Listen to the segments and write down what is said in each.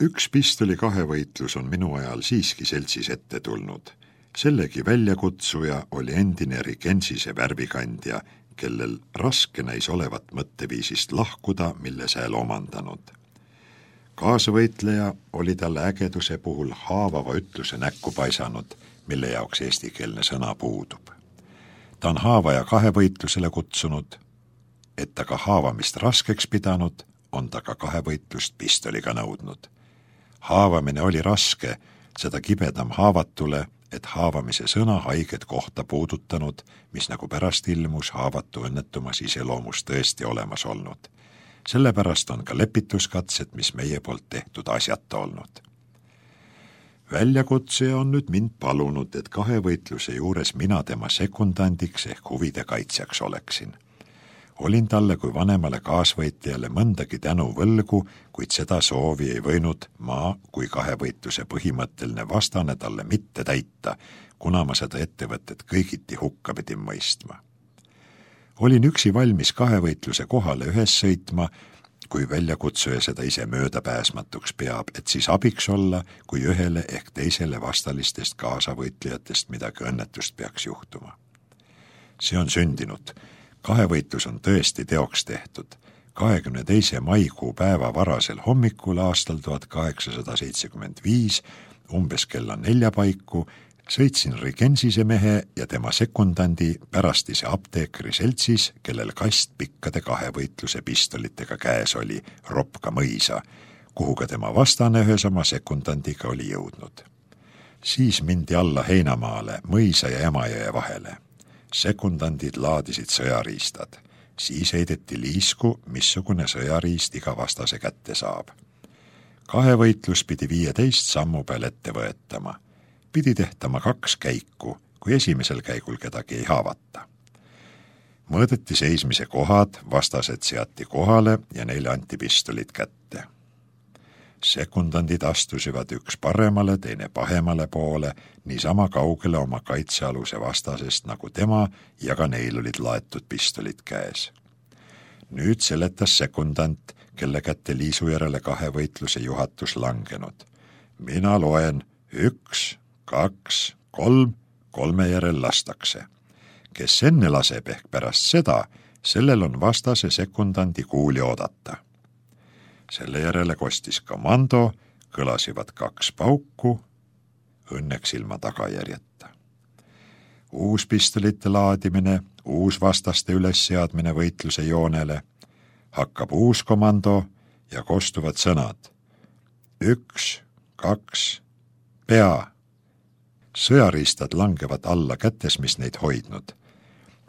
Üks pistoli kahevõitlus on minu ajal siiski seltsis ette tulnud. Sellegi väljakutsuja oli endine Rigensise värvikandja, kellel raske näis olevat mõtteviisist lahkuda, mille sääl omandanud. Kaasvõitleja oli talle ägeduse puhul haavava ütluse näkku paisanud, mille jaoks eestikeelne sõna puudub. Ta on haavaja kahevõitlusele kutsunud, et ta ka haavamist raskeks pidanud, on ta ka kahevõitlust pistoliga nõudnud. Haavamine oli raske, seda kibedam haavatule, et haavamise sõna haiget kohta puudutanud, mis nagu pärast ilmus haavatu õnnetumas iseloomus tõesti olemas olnud. Sellepärast on ka lepituskatsed, mis meie poolt tehtud asjata olnud. Väljakutsuja on nüüd mind palunud, et kahevõitluse juures mina tema sekundandiks ehk huvide kaitsjaks oleksin. Olin talle kui vanemale kaasvõitjale mõndagi tänu võlgu, kuid seda soovi ei võinud ma kui kahevõitluse põhimõtteline vastane talle mitte täita, kuna ma seda ettevõtet kõigiti hukka pidin mõistma. Olin üksi valmis kahevõitluse kohale ühes sõitma, kui väljakutsuja seda ise möödapääsmatuks peab, et siis abiks olla, kui ühele ehk teisele vastalistest kaasavõitlejatest midagi õnnetust peaks juhtuma. See on sündinud. Kahevõitlus on tõesti teoks tehtud. 22. maikuu päeva varasel hommikul aastal 1875, umbes kella 4 paiku, sõitsin Rigensise mehe ja tema sekundandi pärastise apteekri seltsis, kellel kast pikkade kahevõitluse pistolitega käes oli, Ropka mõisa, kuhu ka tema vastane ühes oma sekundandiga oli jõudnud. Siis mindi alla heinamaale, mõisa ja Emajõe vahele. Sekundandid laadisid sõjariistad. Siis heideti liisku, missugune sõjariist iga vastase kätte saab. Kahevõitlus pidi 15 sammu peal ette võetama. Pidi tehtama 2 käiku, kui esimesel käigul kedagi ei haavata. Mõõdeti seismise kohad, vastased seati kohale ja neile anti pistolid kätte. Sekundandid astusivad üks paremale, teine pahemale poole, niisama kaugele oma kaitsealuse vastasest nagu tema ja ka neil olid laetud pistolid käes. Nüüd seletas sekundant, kelle kätte liisu järele kahevõitluse juhatus langenud. Mina loen 1, 2, 3, 3 järel lastakse. Kes enne laseb ehk pärast seda, sellel on vastase sekundandi kuuli oodata. Selle järele kostis komando, kõlasivad 2 pauku, õnneks ilma tagajärjeta. Uus pistolite laadimine, uus vastaste ülesseadmine võitluse joonele, hakkab uus komando ja kostuvad sõnad. 1, 2, pea. Sõjariistad langevad alla kätes, mis neid hoidnud.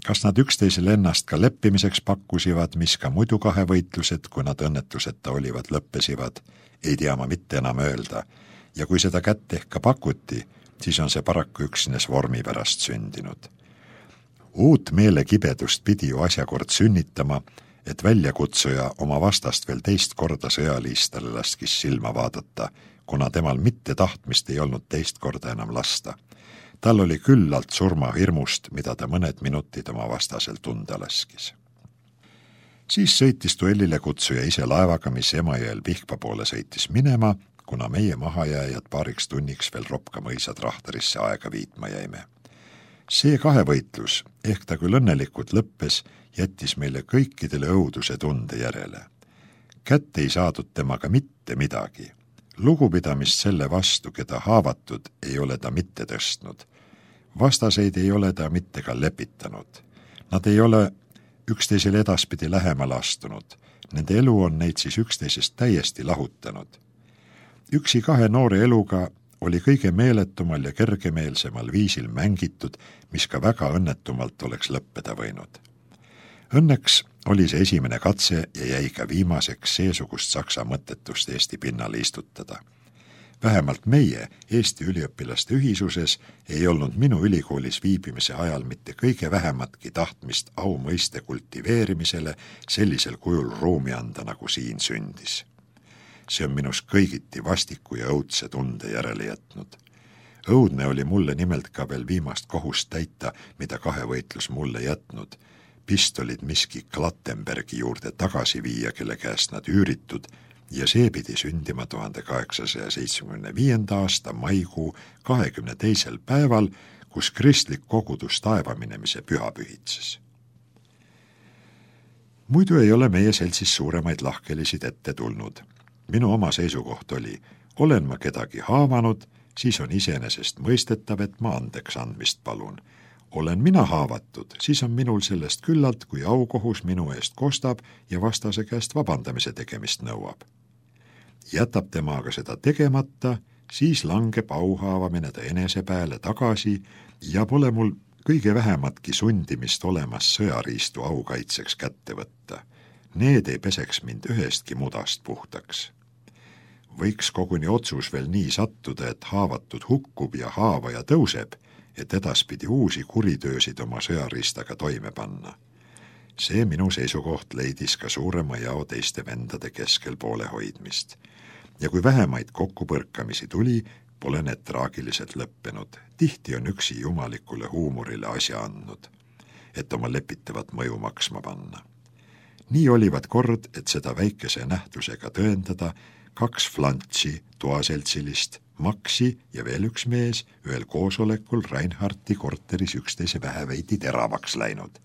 Kas nad üksteisele ennast ka leppimiseks pakkusivad, mis ka muidu kahevõitlused, kui nad õnnetuseta olivad, lõppesivad, ei tea ma mitte enam öelda. Ja kui seda kätt ehk ka pakuti, siis on see paraku üksnes vormi pärast sündinud. Uut meelekibedust pidi ju asjakord sünnitama, et väljakutsuja oma vastast veel teist korda sõjaliistale laskis silma vaadata, kuna temal mitte tahtmist ei olnud teist korda enam lasta. Tal oli küllalt surmahirmust, mida ta mõned minutid oma vastasel tunda laskis. Siis sõitis duellile kutsuja ise laevaga, mis Emajõel Pihkva poole sõitis minema, kuna meie mahajääjad paariks tunniks veel Ropka mõisa trahtarisse aega viitma jäime. See kahevõitlus, ehk ta küll õnnelikult lõppes, jättis meile kõikidele õuduse tunde järele. Kätte ei saadud temaga mitte midagi. Lugupidamist selle vastu, keda haavatud, ei ole ta mitte tõstnud. Vastaseid ei ole ta mitte ka lepitanud. Nad ei ole üksteisele edaspidi lähemale astunud. Nende elu on neid siis üksteisest täiesti lahutanud. Üksi 2 noore eluga oli kõige meeletumal ja kergemeelsemal viisil mängitud, mis ka väga õnnetumalt oleks lõppeda võinud. Õnneks oli see esimene katse ja jäi ka viimaseks seesugust saksa mõttetust Eesti pinnale istutada. Vähemalt meie, Eesti üliõpilaste ühisuses, ei olnud minu ülikoolis viibimise ajal mitte kõige vähematki tahtmist aumõiste kultiveerimisele sellisel kujul ruumi anda, nagu siin sündis. See on minus kõigiti vastiku ja õudse tunde järele jätnud. Õudne oli mulle nimelt ka veel viimast kohust täita, mida kahevõitlus mulle jätnud. Pistolid miski Klattenbergi juurde tagasi viia, kelle käest nad üüritud, ja see pidi sündima 1875. aasta maikuu 22. päeval, kus kristlik kogudus taevaminemise püha pühitses. Muidu ei ole meie seltsis suuremaid lahkelisid ette tulnud. Minu oma seisukoht oli, olen ma kedagi haavanud, siis on iseenesest mõistetav, et ma andeks andmist palun. Olen mina haavatud, siis on minul sellest küllalt, kui aukohus minu eest kostab ja vastase käest vabandamise tegemist nõuab. Jätab tema aga seda tegemata, siis langeb auhaavamine ta enese peale tagasi ja pole mul kõige vähematki sundimist olemas sõjariistu aukaitseks kätte võtta. Need ei peseks mind ühestki mudast puhtaks. Võiks koguni otsus veel nii sattuda, et haavatud hukkub ja haavaja tõuseb, et edaspidi uusi kuritöösid oma sõjariistaga toime panna. See minu seisukoht leidis ka suurema jao teiste vendade keskel poole hoidmist. Ja kui vähemaid kokkupõrkamisi tuli, pole need traagiliselt lõppenud. Tihti on üksi jumalikule huumorile asja andnud, et oma lepitavat mõju maksma panna. Nii olivat kord, et seda väikese nähtusega tõendada, 2 flantsi toaseltsilist, Maxi ja veel üks mees ühel koosolekul Reinhardti korteris üksteise väheveidi teravaks läinud.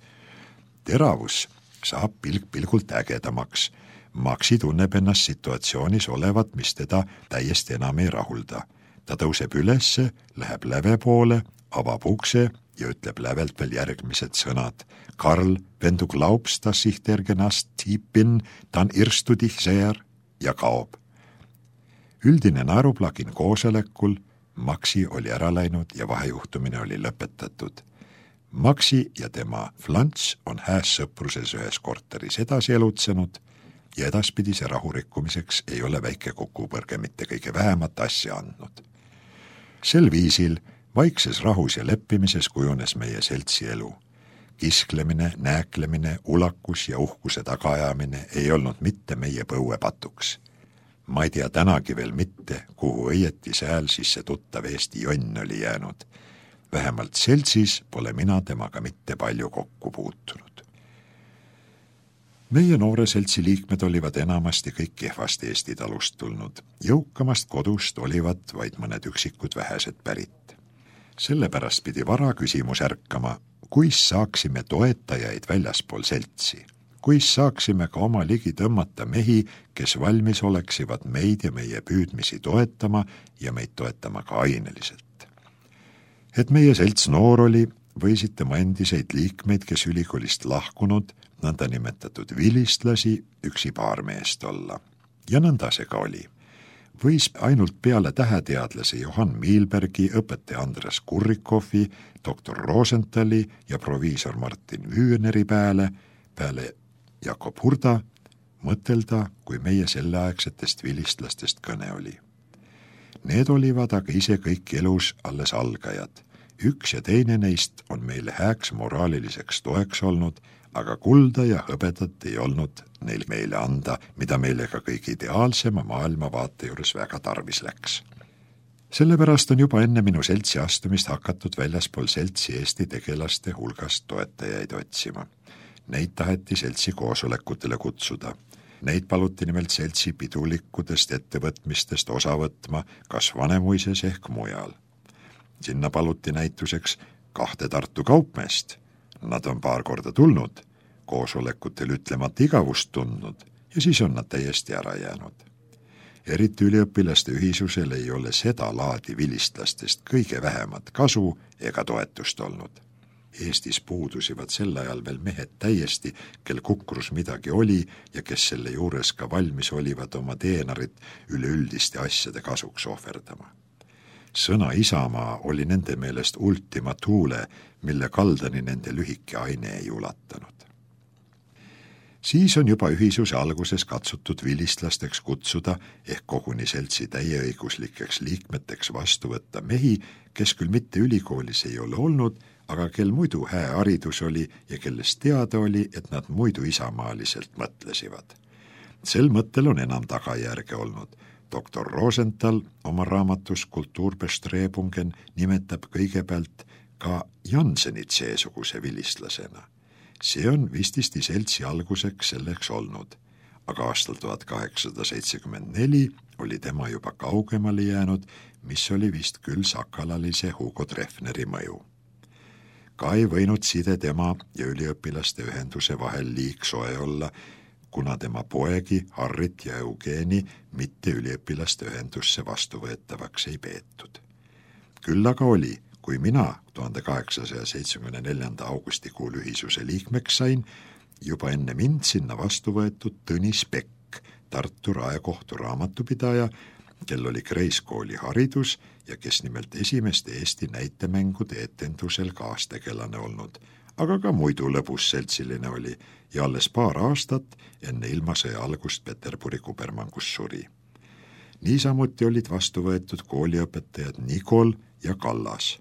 Teravus saab pilgult ägedamaks. Maxi tunneb ennast situatsioonis olevat, mis teda täiesti enam ei rahulda. Ta tõuseb ülesse, läheb läve poole, avab ukse ja ütleb lävelt veel järgmised sõnad. Karl, wenn du glaubst, dass ich der genast Typ bin, dann irrst du dich sehr ja kaob. Üldine naeruplagin koosolekul, Maxi oli ära läinud ja vahejuhtumine oli lõpetatud. Maxi ja tema flants on hääs sõpruses ühes korteris edasi elutsenud ja edaspidise rahurikkumiseks ei ole väike kokkupõrge mitte kõige vähemat asja andnud. Sel viisil vaikses rahus ja leppimises kujunes meie seltsi elu. Kisklemine, nääklemine, ulakus ja uhkuse tagaajamine ei olnud mitte meie põuepatuks. Ma ei tea tänagi veel mitte, kuhu õieti sääl siis see tuttav Eesti jonn oli jäänud. Vähemalt seltsis pole mina temaga mitte palju kokku puutunud. Meie noore seltsi liikmed olivad enamasti kõik kehvast Eesti talust tulnud. Jõukamast kodust olivad vaid mõned üksikud vähesed pärit. Sellepärast pidi vara küsimus ärkama, kuis saaksime toetajaid väljaspool seltsi. Kuis saaksime ka oma ligi tõmmata mehi, kes valmis oleksivad meid ja meie püüdmisi toetama ja meid toetama ka aineliselt. Et meie selts noor oli, võisid tema endiseid liikmeid, kes ülikoolist lahkunud, nõnda nimetatud vilistlasi, üksi paar meest olla. Ja nõnda see ka oli. Võis ainult peale täheteadlase Johann Miilbergi, õpetaja Andres Kurrikovi, doktor Rosenthali ja proviisor Martin Wühneri peale Jakob Hurda mõtelda, kui meie selleaegsetest vilistlastest kõne oli. Need olivad aga ise kõik elus alles algajad. Üks ja teine neist on meile hääks moraaliliseks toeks olnud, aga kulda ja hõbedat ei olnud neil meile anda, mida meile ka kõige ideaalsema maailmavaate juures väga tarvis läks. Sellepärast on juba enne minu seltsi astumist hakatud väljaspool seltsi Eesti tegelaste hulgast toetajaid otsima. Neid taheti seltsi koosolekutele kutsuda. Neid paluti nimelt seltsi pidulikudest ettevõtmistest osa võtma, kas Vanemuises ehk mujal. Sinna paluti näituseks 2 Tartu kaupmeest. Nad on paar korda tulnud, koosolekutel ütlemata igavust tundnud ja siis on nad täiesti ära jäänud. Eriti üliõpilaste ühisusel ei ole seda laadi vilistlastest kõige vähemat kasu ega toetust olnud. Eestis puudusivad sel ajal veel mehed täiesti, kel kukrus midagi oli ja kes selle juures ka valmis olivad oma teenarit üleüldiste asjade kasuks ohverdama. Sõna Isamaa oli nende meelest ultima thule, mille kaldani nende lühike aine ei ulatanud. Siis on juba ühisuse alguses katsutud vilistlasteks kutsuda ehk koguni seltsi täieõiguslikeks liikmeteks vastu võtta mehi, kes küll mitte ülikoolis ei ole olnud, aga kel muidu hää haridus oli ja kellest teada oli, et nad muidu isamaaliselt mõtlesivad. Sel mõttel on enam tagajärge olnud. Doktor Rosenthal oma raamatus Kulturbestrebungen nimetab kõigepealt ka Jansenit seesuguse vilistlasena. See on vististi seltsi alguseks selleks olnud. aga aastal 1874 oli tema juba kaugemale jäänud, mis oli vist küll sakalalise Hugo Treffneri mõju. Ka ei võinud side tema ja üliõpilaste ühenduse vahel liigsoe olla, kuna tema poegi Harrit ja Eugeni mitte üliõpilaste ühendusse vastuvõetavaks ei peetud. Küll aga oli, kui mina 1874. augustikuul ühisuse liikmeks sain, juba enne mind sinna vastu võetud Tõnis Pekk, Tartu raekohtu raamatupidaja, kel oli Kreiskooli haridus ja kes nimelt esimeste Eesti näitemängude etendusel kaastegelane olnud, aga ka muidu lõbus seltsiline oli ja alles paar aastat enne ilmasõja algust Peterburi kubermangus suri. Niisamuti olid vastu võetud kooliõpetajad Nikol ja Kallas.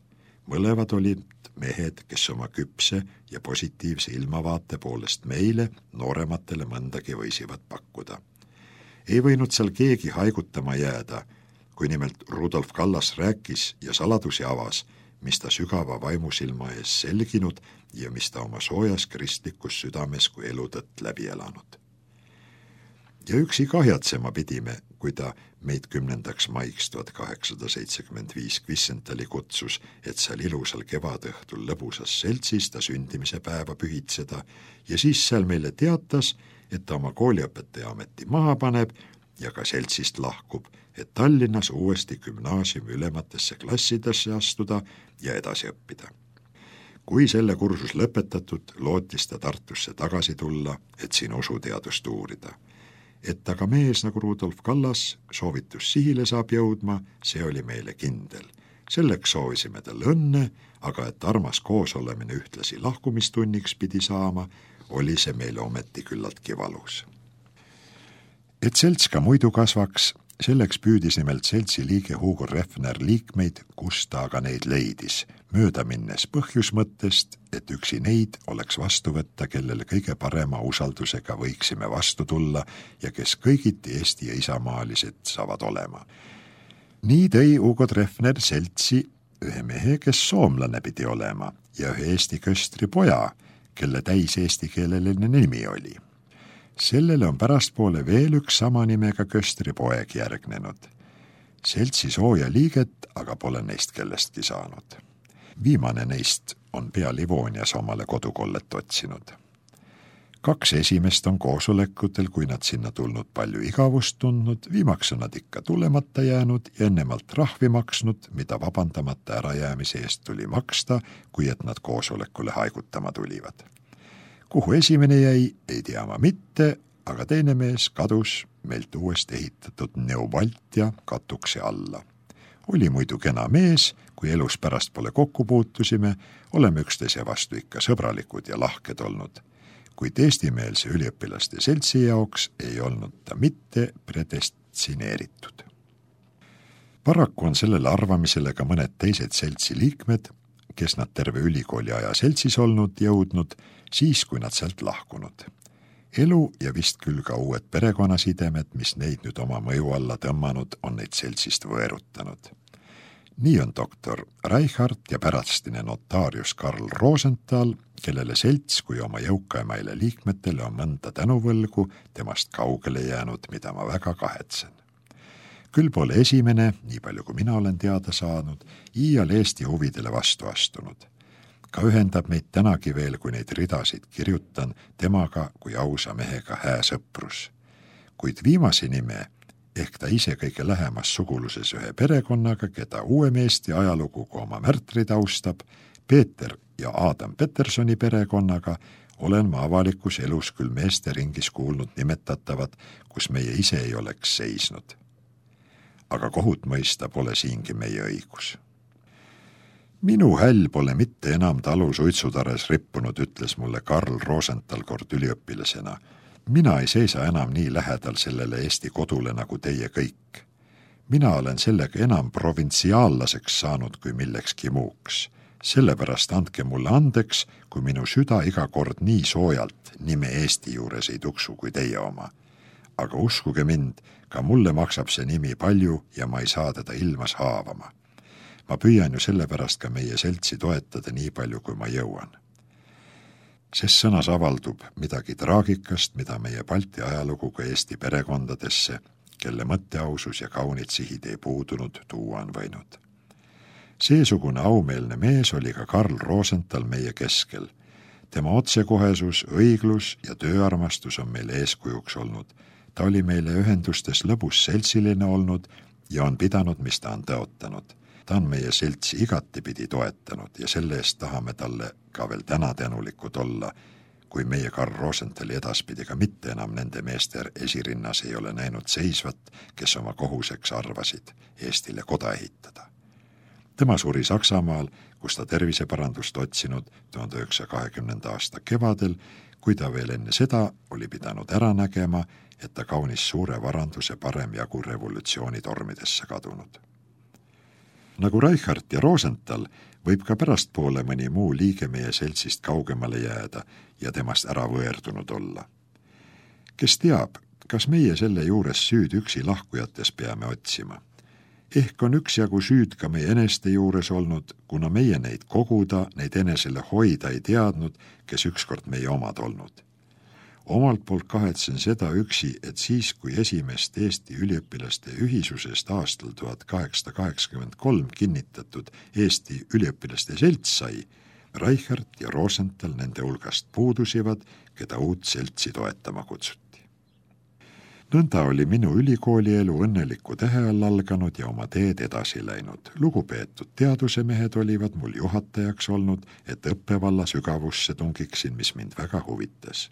Mõlevad olid mehed, kes oma küpse ja positiivse ilmavaate poolest meile, noorematele mõndagi võisivad pakkuda. Ei võinud seal keegi haigutama jääda, kui nimelt Rudolf Kallas rääkis ja saladusi avas, mis ta sügava vaimusilma ees selginud ja mis ta oma soojas kristlikus südames kui elutõtt läbi elanud. Ja üksi kahjatsema pidime, kui ta meid 10. maiks 1875 Kvissentali kutsus, et seal ilusal kevadõhtul lõbusas seltsis ta sündimise päeva pühitseda ja siis seal meile teatas, et ta oma kooliõpetaja ameti maha paneb ja ka seltsist lahkub, et Tallinnas uuesti gümnaasiumi ülematesse klassidesse astuda ja edasi õppida. Kui selle kursus lõpetatud, lootis ta Tartusse tagasi tulla, et siin usuteadust uurida. Et aga mees nagu Rudolf Kallas soovitus sihile saab jõudma, see oli meile kindel. Selleks soovisime talle õnne, aga et armas koosolemine ühtlasi lahkumistunniks pidi saama, oli see meile ometi küllaltki valus. Et selts ka muidu kasvaks, selleks püüdis nimelt seltsi liige Hugo Treffner liikmeid, kus ta aga neid leidis, mööda minnes põhjusmõttest, et üksi neid oleks vastu võtta, kellele kõige parema usaldusega võiksime vastu tulla ja kes kõigiti Eesti ja isamaalised saavad olema. Nii tõi Hugo Treffner seltsi ühe mehe, kes soomlane pidi olema, ja ühe Eesti köstri poja, kelle täis eestikeeleline nimi oli. Sellele on pärastpoole veel üks sama nimega köstri poeg järgnenud. Seltsi sooja liiget aga pole neist kellestki saanud. Viimane neist on pea Livonias omale kodukollet otsinud. 2 esimest on koosolekutel, kui nad sinna tulnud palju igavust tundnud, viimaks on nad ikka tulemata jäänud ja ennemalt rahvi maksnud, mida vabandamata ärajäämise eest tuli maksta, kui et nad koosolekule haigutama tulivad. Kuhu esimene jäi, ei tea ma mitte, aga teine mees kadus meilt uuesti ehitatud Neubaltia katukse alla. Oli muidu kena mees, kui elus pärast pole kokku puutusime, oleme üksteise vastu ikka sõbralikud ja lahked olnud. Kuid eestimeelse üliõpilaste seltsi jaoks ei olnud ta mitte predestineeritud. Paraku on sellele arvamisele ka mõned teised seltsi liikmed, kes nad terve ülikooli aja seltsis olnud jõudnud, siis kui nad sealt lahkunud. Elu ja vist küll ka uued perekonnasidemed, mis neid nüüd oma mõju alla tõmmanud, on neid seltsist võerutanud. Nii on doktor Reichhardt ja pärastine notaarius Karl Rosenthal, kellele selts kui oma jõukaimaile liikmetele on mõnda tänuvõlgu temast kaugele jäänud, mida ma väga kahetsen. Küll pole esimene, nii palju kui mina olen teada saanud, iial Eesti huvidele vastu astunud. Ka ühendab meid tänagi veel, kui neid ridasid kirjutan, temaga kui ausa mehega hää sõprus. Kuid viimase nime, ehk ta ise kõige lähemas suguluses ühe perekonnaga, keda uuem Eesti ajalugu kui oma märtrid austab, Peeter ja Adam Petersoni perekonnaga, olen ma avalikus elus küll meeste ringis kuulnud nimetatavat, kus meie ise ei oleks seisnud. Aga kohut mõista pole siingi meie õigus. Minu häll pole mitte enam talu suitsutares rippunud, ütles mulle Karl Rosenthal kord üliõpilasena. Mina ei seisa enam nii lähedal sellele Eesti kodule nagu teie kõik. Mina olen sellega enam provintsiaallaseks saanud kui millekski muuks. Sellepärast andke mulle andeks, kui minu süda iga kord nii soojalt nime Eesti juures ei tuksu kui teie oma. Aga uskuge mind, ka mulle maksab see nimi palju ja ma ei saa teda ilmas haavama. Ma püüan ju sellepärast ka meie seltsi toetada nii palju, kui ma jõuan. Ses sõnas avaldub midagi traagikast, mida meie Balti ajalugu ka Eesti perekondadesse, kelle mõtteausus ja kaunid sihid ei puudunud, tuua on võinud. Seesugune aumeelne mees oli ka Karl Rosenthal meie keskel. Tema otsekohesus, õiglus ja tööarmastus on meile eeskujuks olnud. Ta oli meile ühendustes lõbus seltsiline olnud ja on pidanud, mis ta on tõotanud. Ta on meie seltsi igatipidi toetanud ja selle eest tahame talle ka veel täna tänulikud olla, kui meie Karl Rosenthali edaspidi ka mitte enam nende meeste esirinnas ei ole näinud seisvat, kes oma kohuseks arvasid Eestile koda ehitada. Tema suri Saksamaal, kus ta terviseparandust otsinud 1920. aasta kevadel, kui ta veel enne seda oli pidanud ära nägema, et ta kaunis suure varanduse parem jagu revolutsiooni tormidesse kadunud. Nagu Reichert ja Rosenthal võib ka pärastpoole mõni muu liige meie seltsist kaugemale jääda ja temast ära võerdunud olla. Kes teab, kas meie selle juures süüd üksi lahkujates peame otsima? Ehk on üksjagu süüd ka meie eneste juures olnud, kuna meie neid koguda, neid enesele hoida ei teadnud, kes ükskord meie omad olnud. Omalt poolt kahetsen seda üksi, et siis, kui esimest Eesti üliõpilaste ühisusest aastal 1883 kinnitatud Eesti üliõpilaste selts sai, Reichert ja Rosenthal nende hulgast puudusivad, keda uut seltsi toetama kutsuti. Nõnda oli minu ülikoolielu õnneliku tähe all alganud ja oma teed edasi läinud. Lugupeetud teadusemehed olivad mul juhatajaks olnud, et õppevalla sügavusse tungiksin, mis mind väga huvitas.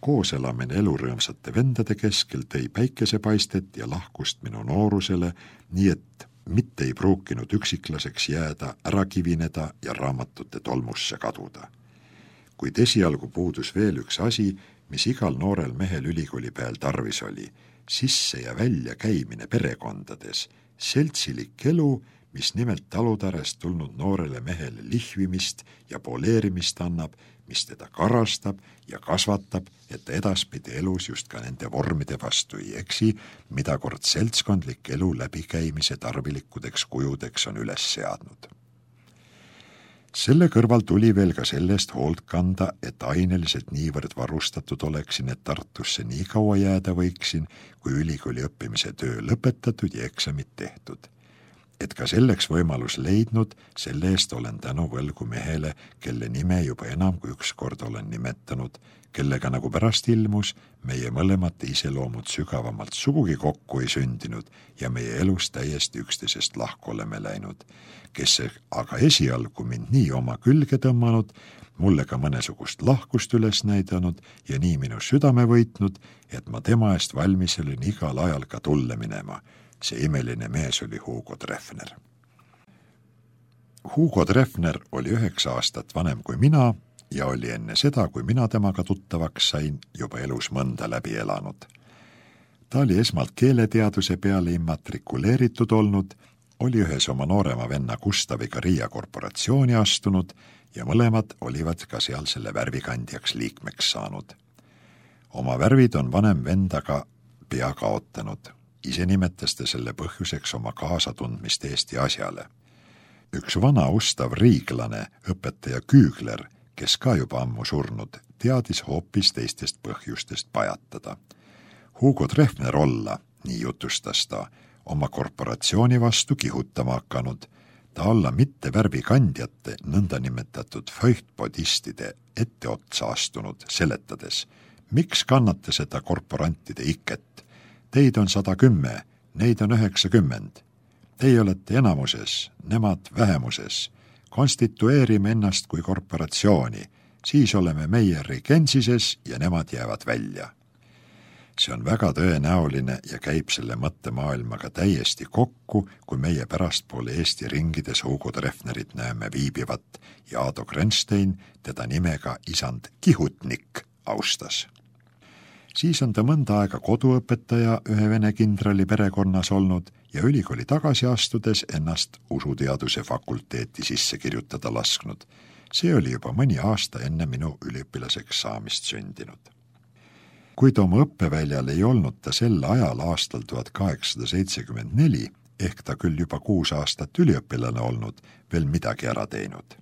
Koos elamine elurõõmsate vendade keskel tõi päikesepaistet ja lahkust minu noorusele, nii et mitte ei pruukinud üksiklaseks jääda, ära kivineda ja raamatute tolmusse kaduda. Kuid esialgu puudus veel üks asi, mis igal noorel mehel ülikooli peal tarvis oli, sisse ja välja käimine perekondades, seltsilik elu, mis nimelt talutarest tulnud noorele mehele lihvimist ja poleerimist annab, mis teda karastab ja kasvatab, et ta edaspidi elus just ka nende vormide vastu ei eksi, mida kord seltskondlik elu läbikäimise tarvilikudeks kujudeks on üles seadnud. Selle kõrval tuli veel ka sellest hoolt kanda, et aineliselt niivõrd varustatud oleksin, et Tartusse nii kaua jääda võiksin, kui ülikooli õppimise töö lõpetatud ja eksamid tehtud. Et ka selleks võimalus leidnud, selle eest olen tänu võlgu mehele, kelle nime juba enam kui ükskord olen nimetanud, kellega nagu pärast ilmus, meie mõlemate iseloomud sügavamalt sugugi kokku ei sündinud ja meie elus täiesti üksteisest lahku oleme läinud, kes aga esialgu mind nii oma külge tõmmanud, mulle ka mõnesugust lahkust üles näidanud ja nii minu südame võitnud, et ma tema eest valmis olin igal ajal ka tulle minema. See imeline mees oli Hugo Treffner. Hugo Treffner oli 9 aastat vanem kui mina ja oli enne seda, kui mina temaga tuttavaks sain, juba elus mõnda läbi elanud. Ta oli esmalt keeleteaduse peale immatrikuleeritud olnud, oli ühes oma noorema venna Gustaviga Riia korporatsiooni astunud ja mõlemad olivad ka seal selle värvikandjaks liikmeks saanud. Oma värvid on vanem vendaga pea kaotanud. Ise nimetas ta selle põhjuseks oma kaasatundmist Eesti asjale. Üks vana ustav riiglane, õpetaja Küükler, kes ka juba ammu surnud, teadis hoopis teistest põhjustest pajatada. Hugo Treffner olla, nii jutustas ta, oma korporatsiooni vastu kihutama hakanud, ta olla mitte värvikandjate, nõnda nimetatud feuchtpodistide etteotsa astunud, seletades, miks kannate seda korporantide iket? Teid on 110, neid on 90. Teie olete enamuses, nemad vähemuses. Konstitueerime ennast kui korporatsiooni, siis oleme meie Rigensises ja nemad jäävad välja. See on väga tõenäoline ja käib selle mõttemaailmaga täiesti kokku, kui meie pärastpoole Eesti ringides Hugo Treffnerit näeme viibivat ja Aado Grenstein teda nimega isand Kihutnik austas. Siis on ta mõnda aega koduõpetaja ühe vene kindrali perekonnas olnud ja ülikooli tagasi astudes ennast usuteaduse fakulteeti sisse kirjutada lasknud. See oli juba mõni aasta enne minu üliõpilaseks saamist sündinud. Kuid oma õppeväljal ei olnud ta sel ajal aastal 1874, ehk ta küll juba 6 aastat üliõpilane olnud, veel midagi ära teinud.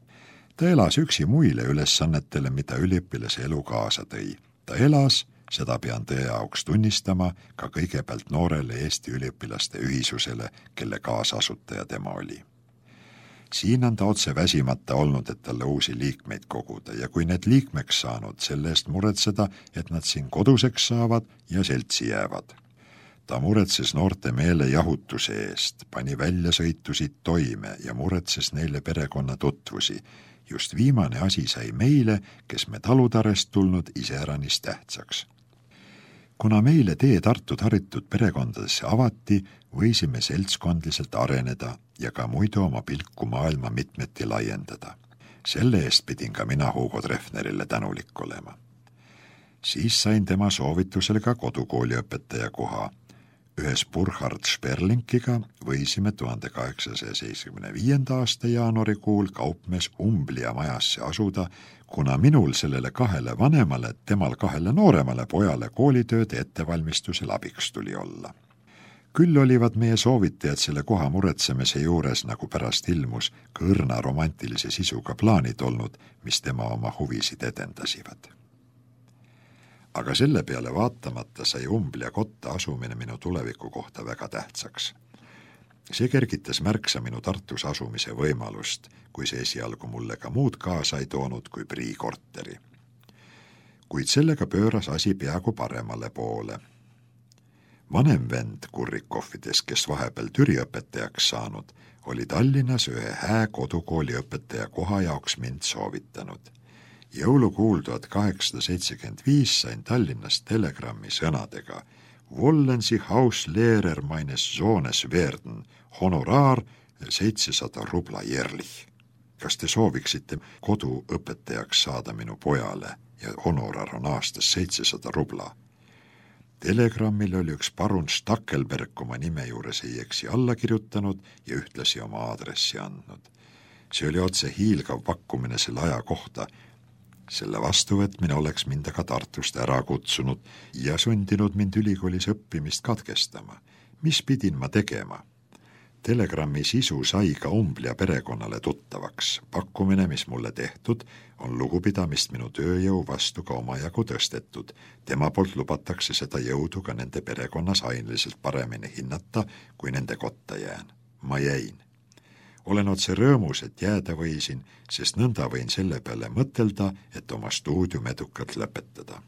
Ta elas üksi muile ülesannetele, mida üliõpilase elu kaasa tõi. Ta elas, seda pean tõe auks tunnistama, ka kõigepealt noorele Eesti üliõpilaste ühisusele, kelle kaasasutaja tema oli. Siin on ta otse väsimata olnud, et talle uusi liikmeid koguda ja kui need liikmeks saanud, selle eest muretseda, et nad siin koduseks saavad ja seltsi jäävad. Ta muretses noorte meele jahutuse eest, pani väljasõitusid toime ja muretses neile perekonna tutvusi. Just viimane asi sai meile, kes me talutarest tulnud, iseäranis tähtsaks. Kuna meile tee Tartut haritud perekondadesse avati, võisime seltskondliselt areneda ja ka muidu oma pilku maailma mitmeti laiendada. Selle eest pidin ka mina Hugo Treffnerile tänulik olema. Siis sain tema soovitusel ka kodukooliõpetaja koha. Ühes Burkhard Sperlinkiga võisime 1875. aasta jaanuarikuul kaupmees Umblia majasse asuda, kuna minul sellele 2 vanemale, temal 2 nooremale pojale koolitööde ettevalmistusel abiks tuli olla. Küll olivad meie soovitajad selle koha muretsemise juures, nagu pärast ilmus, kõrna romantilise sisuga plaanid olnud, mis tema oma huvisid edendasivad. Aga selle peale vaatamata sai Umblia kotta asumine minu tuleviku kohta väga tähtsaks. See kergitas märksa minu Tartus asumise võimalust, kui see esialgu mulle ka muud kaasa ei toonud kui Prii korteri. Kuid sellega pööras asi peaaegu paremale poole. Vanem vend Kurrikovfides, kes vahepeal Türiõpetajaks saanud, oli Tallinnas ühe hää kodukooli õpetaja koha jaoks mind soovitanud. Jõulukuul 1875 sain Tallinnast telegrammi sõnadega Wollen Sie Hauslehrer meines Sohnes werden, honoraar 700 rubla jährlich. Kas te sooviksite koduõpetajaks saada minu pojale ja honorar on aastas 700 rubla? Telegrammil oli üks parun Stackelberg oma nime juures ei eksi alla kirjutanud ja ühtlasi oma aadressi andnud. See oli otse hiilgav pakkumine selle aja kohta. Selle vastuvõtmine oleks mind aga Tartust ära kutsunud ja sundinud mind ülikoolis õppimist katkestama. Mis pidin ma tegema? Telegrammi sisu sai ka Umblia perekonnale tuttavaks. Pakkumine, mis mulle tehtud, on lugupidamist minu tööjõu vastu ka omajagu tõstetud. Tema poolt lubatakse seda jõudu ka nende perekonnas aineliselt paremini hinnata, kui nende kotta jään. Ma jäin. Olen otse rõõmus, et jääda võisin, sest nõnda võin selle peale mõtelda, et oma stuudium edukalt lõpetada.